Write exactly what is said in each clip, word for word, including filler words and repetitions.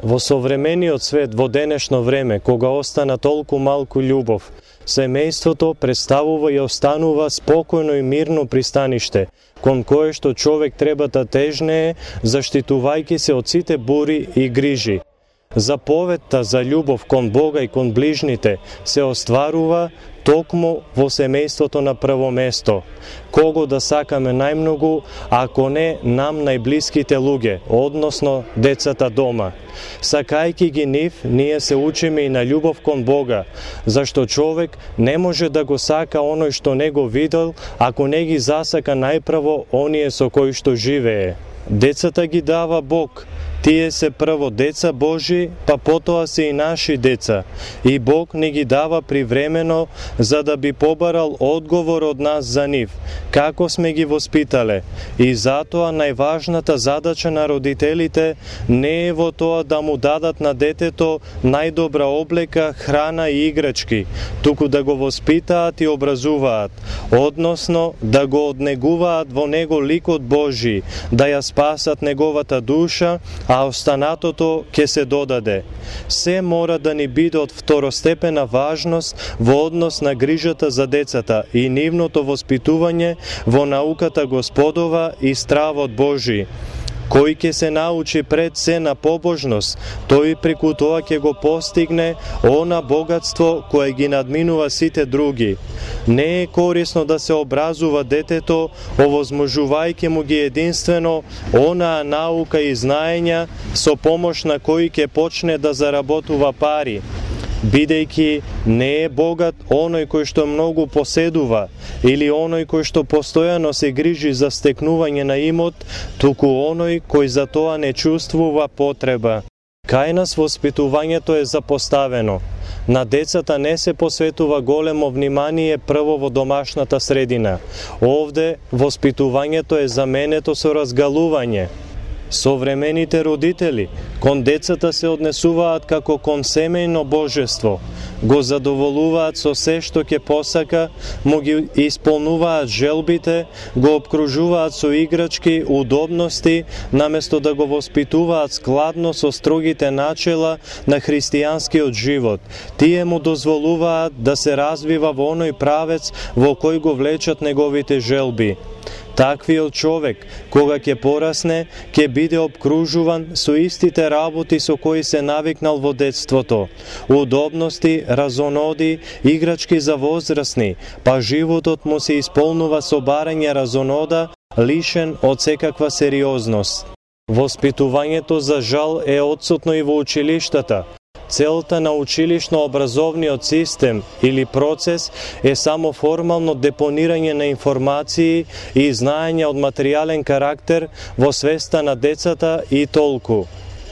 Во современиот свет, во денешно време, кога остана толку малку љубов, семејството представува и останува спокојно и мирно пристаниште, кон кое што човек треба да тежнее, заштитувајќи се од сите бури и грижи. Заповедта за љубов кон Бога и кон ближните се остварува токму во семејството на прво место. Кого да сакаме најмногу, ако не нам најблиските луѓе, односно децата дома. Сакајќи ги нив, ние се учиме и на љубов кон Бога, зашто човек не може да го сака оној што не го видел, ако не ги засака најпрво оние со кои што живее. Децата ги дава Бог. Тие се прво деца Божи, па потоа се и наши деца. И Бог не ги дава привремено, за да би побарал одговор од нас за нив, како сме ги воспитале. И затоа најважната задача на родителите не е во тоа да му дадат на детето најдобра облека, храна и играчки, туку да го воспитаат и образуваат, односно да го однегуваат во него ликот Божи, да ја спасат неговата душа, а останатото ќе се додаде. Се мора да ни биде од второстепена важност во однос на грижата за децата и нивното воспитување во науката Господова и стравот Божи. Кој ќе се научи пред се на побожност, тој преку тоа ќе го постигне она богатство кое ги надминува сите други. Не е корисно да се образува детето, овозможувајќи му ги единствено онаа наука и знаења со помош на кои ќе почне да заработува пари, бидејќи не е богат оној кој што многу поседува или оној кој што постојано се грижи за стекнување на имот, туку оној кој за тоа не чувствува потреба. Кај нас воспитувањето е запоставено. На децата не се посветува големо внимание прво во домашната средина. Овде воспитувањето е заменето со разгалување. Современите родители кон децата се однесуваат како кон семејно божество, го задоволуваат со се што ќе посака, му ги исполнуваат желбите, го обкружуваат со играчки, удобности, наместо да го воспитуваат складно со строгите начела на христијанскиот живот. Тие му дозволуваат да се развива во оној правец во кој го влечат неговите желби. Таквиот човек, кога ќе порасне, ќе биде обкружуван со истите работи со кои се навикнал во детството. Удобности, разоноди, играчки за возрастни, па животот му се исполнува со барање разонода, лишен од секаква сериозност. Воспитувањето за жал е отсутно и во училиштата. Целта на училишно-образовниот систем или процес е само формално депонирање на информации и знаења од материјален карактер во свеста на децата и толку.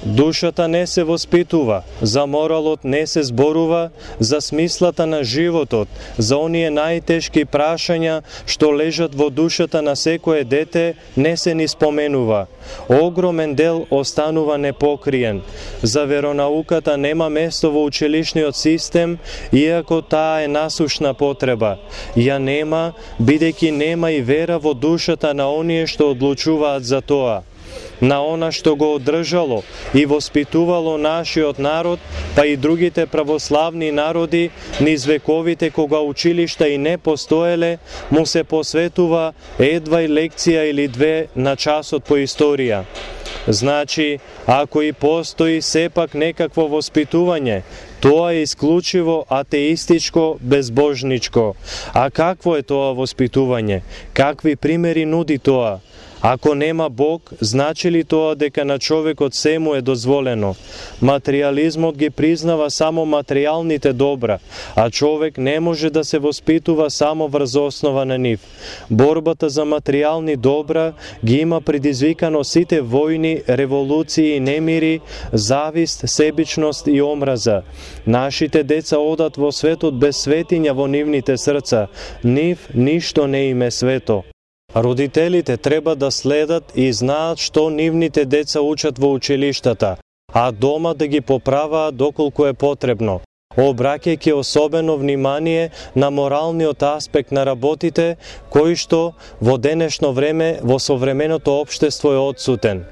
Душата не се воспитува, за моралот не се зборува, за смислата на животот, за оние најтешки прашања што лежат во душата на секое дете не се ни споменува. Огромен дел останува непокриен. За веронауката нема место во училишниот систем, иако таа е насушна потреба. Ја нема, бидејќи нема и вера во душата на оние што одлучуваат за тоа. На она што го одржало и воспитувало нашиот народ, па и другите православни народи, низ вековите кога училишта и не постоеле, му се посветува едвај лекција или две на часот по историја. Значи, ако и постои сепак некакво воспитување, тоа е исклучиво атеистичко, безбожничко. А какво е тоа воспитување? Какви примери нуди тоа? Ако нема Бог, значи ли тоа дека на човекот се му е дозволено? Материјализмот ги признава само материјалните добра, а човек не може да се воспитува само врз основа на нив. Борбата за материјални добра ги има предизвикано сите војни, револуции и немири, завист, себичност и омраза. Нашите деца одат во светот без светиња во нивните срца, нив ништо не им е свето. Родителите треба да следат и знаат што нивните деца учат во училиштата, а дома да ги поправаат доколку е потребно, обраќајќи особено внимание на моралниот аспект на работите, кој што во денешно време во современото општество е отсутен.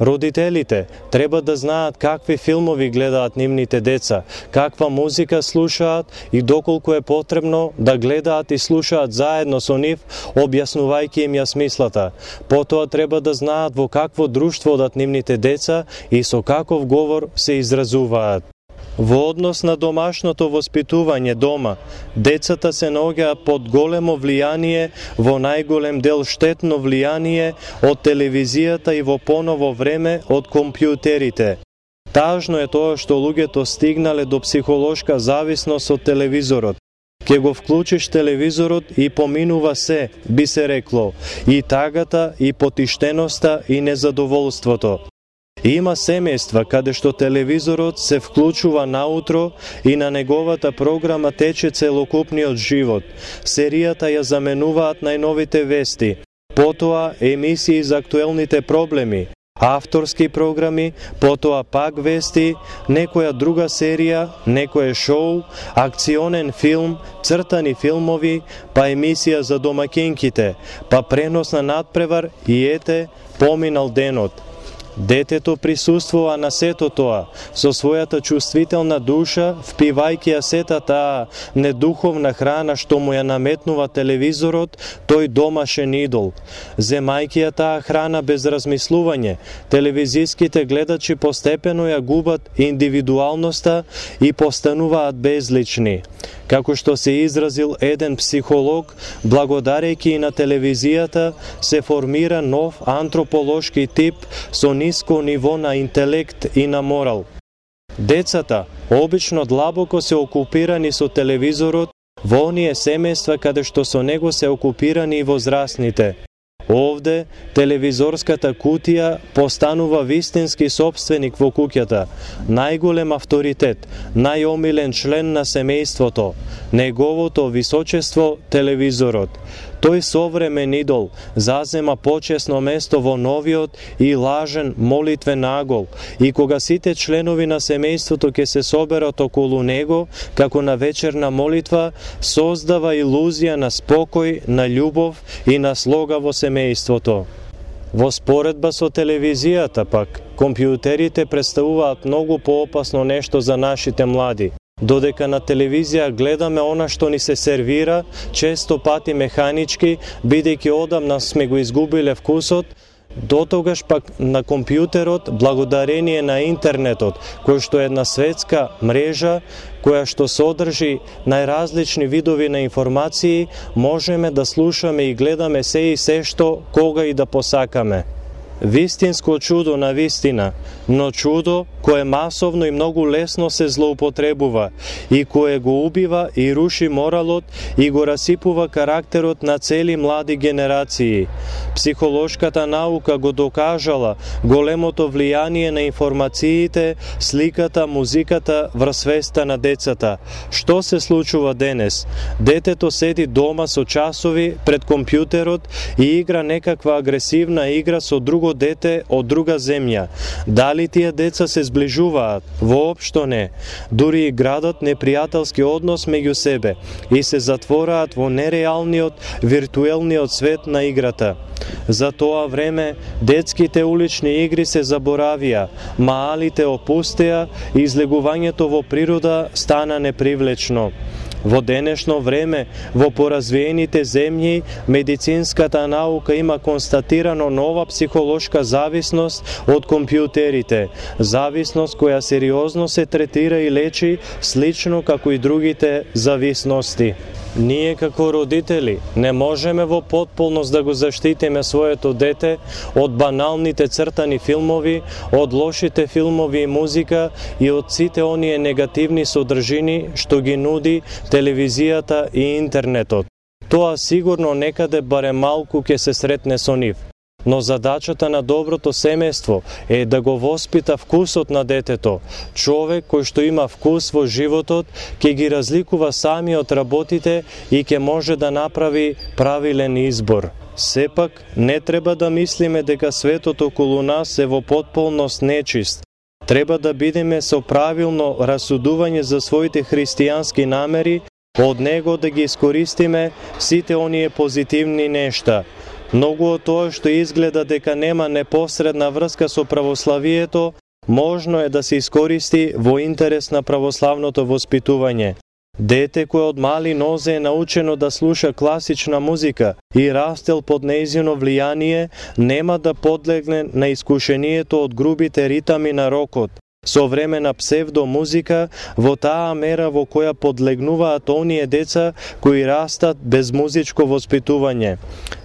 Родителите треба да знаат какви филмови гледаат нивните деца, каква музика слушаат и доколку е потребно да гледаат и слушаат заедно со нив, објаснувајќи им ја смислата. Потоа треба да знаат во какво друштво одат нивните деца и со каков говор се изразуваат. Во однос на домашното воспитување дома, децата се наоѓаат под големо влијание, во најголем дел штетно влијание од телевизијата и во поново време од компјутерите. Тажно е тоа што луѓето стигнале до психолошка зависност од телевизорот. Ке го вклучиш телевизорот и поминува се, би се рекло, и тагата, и потиштеноста, и незадоволството. Има семејства каде што телевизорот се вклучува наутро и на неговата програма тече целокупниот живот. Серијата ја заменуваат најновите вести, потоа емисии за актуелните проблеми, авторски програми, потоа пак вести, некоја друга серија, некое шоу, акционен филм, цртани филмови, па емисија за домаќинките, па пренос на надпревар и ете, поминал денот. Детето присуствува на сето тоа, со својата чувствителна душа, впивајќи ја сета таа недуховна храна што му ја наметнува телевизорот, тој домашен идол. Земајќи ја таа храна без размислување, телевизиските гледачи постепено ја губат индивидуалноста и постануваат безлични. Како што се изразил еден психолог, благодарејќи и на телевизијата, се формира нов антрополошки тип со ниско ниво на интелект и на морал. Децата обично длабоко се окупирани со телевизорот во оние семејства каде што со него се окупирани и возрастните. Овде, телевизорската кутија постанува вистински собственик во куќата, најголем авторитет, најомилен член на семејството, неговото височество телевизорот. Тој современ идол зазема почесно место во новиот и лажен молитвен агол, и кога сите членови на семејството ќе се соберат околу него, како на вечерна молитва, создава илузија на спокој, на љубов и на слога во семејството. Во споредба со телевизијата пак, компјутерите представуваат многу поопасно нешто за нашите млади. Додека на телевизија гледаме она што ни се сервира, често пати механички, бидејќи одамна сме го изгубиле вкусот, дотогаш пак на компјутерот, благодарение на интернетот, кој што е една светска мрежа, која што содржи најразлични видови на информации, можеме да слушаме и гледаме се и се што, кога и да посакаме. Вистинско чудо на вистина, но чудо кое масовно и многу лесно се злоупотребува и кое го убива и руши моралот и го расипува карактерот на цели млади генерации. Психолошката наука го докажала големото влијание на информациите, сликата, музиката врз свеста на децата. Што се случува денес? Детето седи дома со часови пред компјутерот и игра некаква агресивна игра со друго дете од друга земја. Дали тие деца се зближуваат? Воопшто не. Дури и градат непријателски однос меѓу себе и се затвораат во нереалниот, виртуелниот свет на играта. За тоа време детските улични игри се заборавија, маалите опустеа и излегувањето во природа стана непривлечно. Во денешно време, во поразвиените земји, медицинската наука има констатирано нова психолошка зависност од компјутерите, зависност која сериозно се третира и лечи, слично како и другите зависности. Ние како родители не можеме во потполност да го заштитиме своето дете од баналните цртани филмови, од лошите филмови и музика и од сите оние негативни содржини што ги нуди телевизијата и интернетот. Тоа сигурно некаде барем малку ќе се сретне со нив. Но задачата на доброто семејство е да го воспита вкусот на детето. Човек кој што има вкус во животот, ќе ги разликува самиот работите и ќе може да направи правилен избор. Сепак, не треба да мислиме дека светот околу нас е во потполност нечист. Треба да бидеме со правилно расудување за своите христијански намери, од него да ги искористиме сите оние позитивни нешта. Многу од тоа што изгледа дека нема непосредна врска со православието, можно е да се искористи во интерес на православното воспитување. Дете кое од мали нозе е научено да слуша класична музика и растел под нејзино влијание, нема да подлегне на искушението од грубите ритами на рокот, современа псевдомузика, во таа мера во која подлегнуваат оние деца кои растат без музичко воспитување.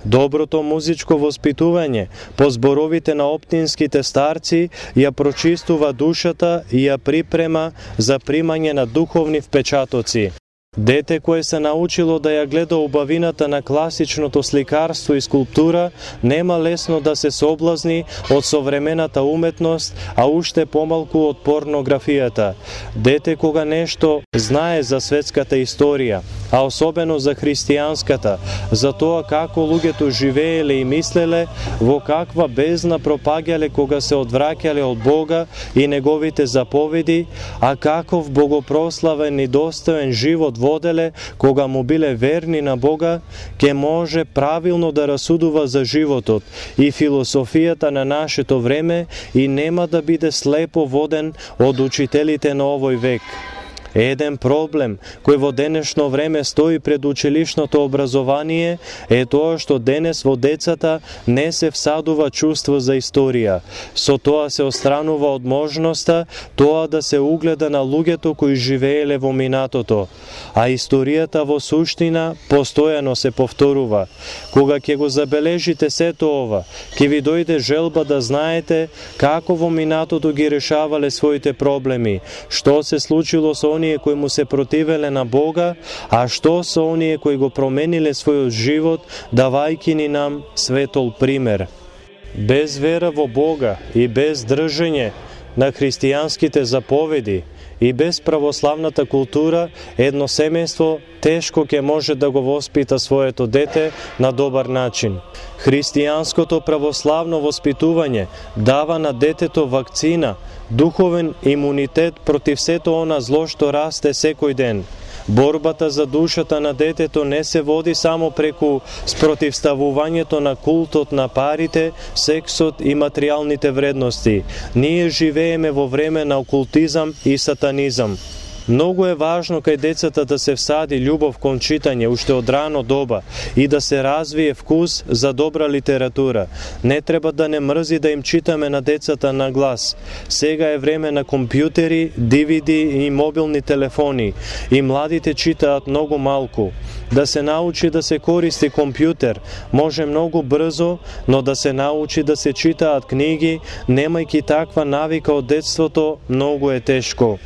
Доброто музичко воспитување, по зборовите на оптинските старци, ја прочистува душата и ја припрема за примање на духовни впечатоци. Дете кое се научило да ја гледа убавината на класичното сликарство и скулптура, нема лесно да се соблазни од современата уметност, а уште помалку од порнографијата. Дете кога нешто знае за светската историја, а особено за христијанската, за тоа како луѓето живееле и мислеле, во каква бездна пропаѓале кога се одвраќале од Бога и неговите заповеди, а каков богопрославен и достоен живот воделе кога му биле верни на Бога, ке може правилно да расудува за животот и философијата на нашето време и нема да биде слепо воден од учителите на овој век. Еден проблем кој во денешно време стои пред училишното образование е тоа што денес во децата не се всадува чувство за историја. Со тоа се отстранува од можноста тоа да се угледа на луѓето кои живееле во минатото, а историјата во суштина постојано се повторува. Кога ќе го забележите сето ова, ќе ви дојде желба да знаете како во минатото ги решавале своите проблеми, што се случило со оние кои му се противеле на Бога, а што со оние кои го промениле својот живот, давајќи ни нам светол пример. Без вера во Бога и без држење на христијанските заповеди и без православната култура, едно семејство тешко ќе може да го воспита своето дете на добар начин. Христијанското православно воспитување дава на детето вакцина, духовен имунитет против сето она зло што расте секој ден. Борбата за душата на детето не се води само преку спротивставувањето на култот на парите, сексот и материјалните вредности. Ние живееме во време на окултизам и сатанизам. Многу е важно кај децата да се всади љубов кон читање уште од рано доба и да се развие вкус за добра литература. Не треба да не мрзи да им читаме на децата на глас. Сега е време на компјутери, ди ви ди и мобилни телефони и младите читаат многу малку. Да се научи да се користи компјутер може многу брзо, но да се научи да се читаат книги, немајќи таква навика од детството, многу е тешко.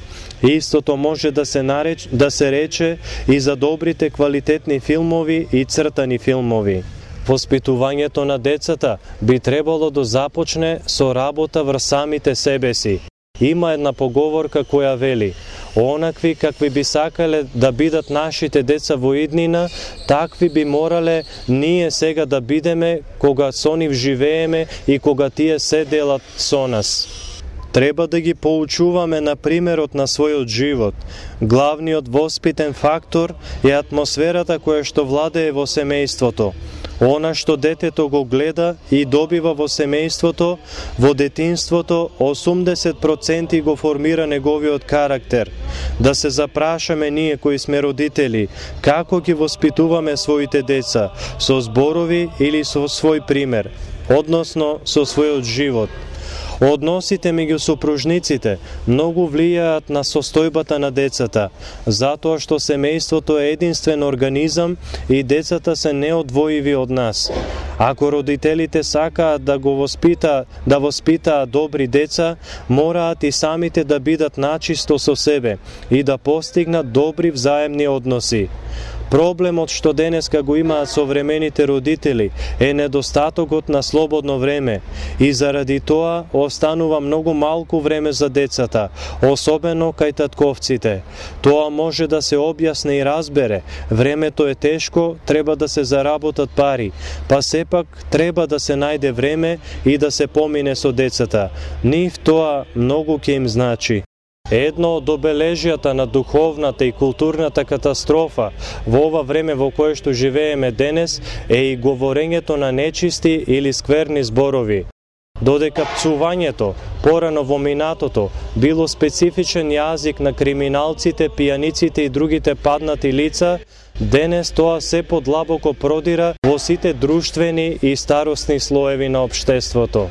Истото може да се нареч, да се рече и за добрите квалитетни филмови и цртани филмови. Воспитувањето на децата би требало да започне со работа врз самите себе си. Има една поговорка која вели: онакви какви би сакале да бидат нашите деца во иднина, такви би морале ние сега да бидеме кога со нив живееме и кога тие се делат со нас. Треба да ги поучуваме на примерот на својот живот. Главниот воспитен фактор е атмосферата која што владее во семејството. Она што детето го гледа и добива во семејството, во детинството, осумдесет проценти го формира неговиот карактер. Да се запрашаме ние кои сме родители, како ги воспитуваме своите деца, со зборови или со свој пример, односно со својот живот. Односите меѓу сопружниците многу влијаат на состојбата на децата, затоа што семејството е единствен организам и децата се неодвоиви од нас. Ако родителите сакаат да го воспита, да воспитаат добри деца, мораат и самите да бидат начисто со себе и да постигнат добри взаемни односи. Проблемот што денеска го имаат современите родители е недостатокот на слободно време и заради тоа останува многу малку време за децата, особено кај татковците. Тоа може да се објасни и разбере. Времето е тешко, треба да се заработат пари, па сепак треба да се најде време и да се помине со децата. Нив тоа многу ќе им значи. Едно од обележјата на духовната и културната катастрофа во ова време во кое што живееме денес е и говорењето на нечисти или скверни зборови. Додека пцувањето, порано во минатото, било специфичен јазик на криминалците, пијаниците и другите паднати лица, денес тоа се подлабоко продира во сите друштвени и старосни слоеви на општеството.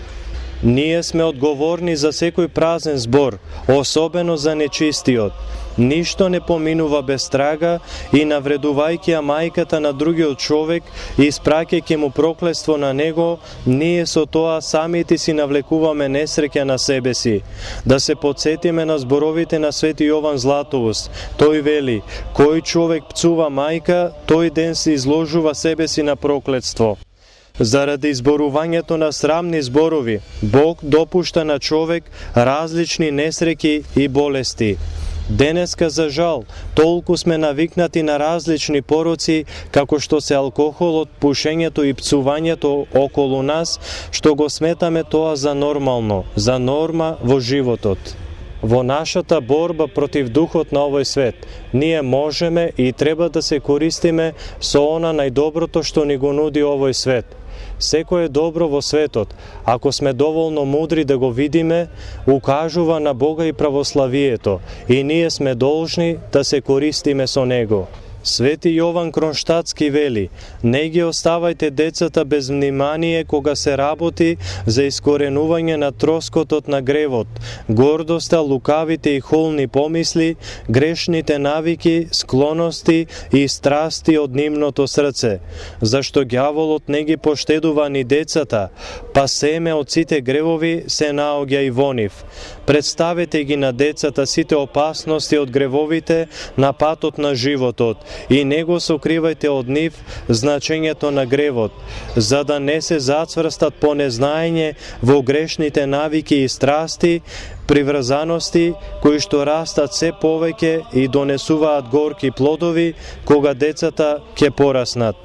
Ние сме одговорни за секој празен збор, особено за нечистиот. Ништо не поминува без трага и навредувајќи ја мајката на другиот човек и испраќајќи му проклетство на него, ние со тоа самите си навлекуваме несреќа на себе си. Да се потсетиме на зборовите на Свети Јован Златоуст. Тој вели: кој човек пцува мајка, тој ден се изложува себе си на проклетство. Заради изборувањето на срамни зборови, Бог допушта на човек различни несреќи и болести. Денеска, за жал, толку сме навикнати на различни пороци, како што се алкохолот, пушењето и пцувањето околу нас, што го сметаме тоа за нормално, за норма во животот. Во нашата борба против духот на овој свет, ние можеме и треба да се користиме со она најдоброто што ни го нуди овој свет. Секој е добро во светот, ако сме доволно мудри да го видиме, укажува на Бога и православието, и ние сме должни да се користиме со него. Свети Јован Кронштадтски вели: не ги оставајте децата без внимание кога се работи за искоренување на троскотот на гревот, гордоста, лукавите и холни помисли, грешните навики, склоности и страсти од нивното срце, зашто ѓаволот не ги поштедува ни децата, па семе од сите гревови се наоѓа и во нив. Представете ги на децата сите опасности од гревовите на патот на животот, и не го сокривајте од нив значењето на гревот, за да не се зацврстат по незнаење во грешните навики и страсти, приврзаности кои што растат се повеќе и донесуваат горки плодови кога децата ќе пораснат.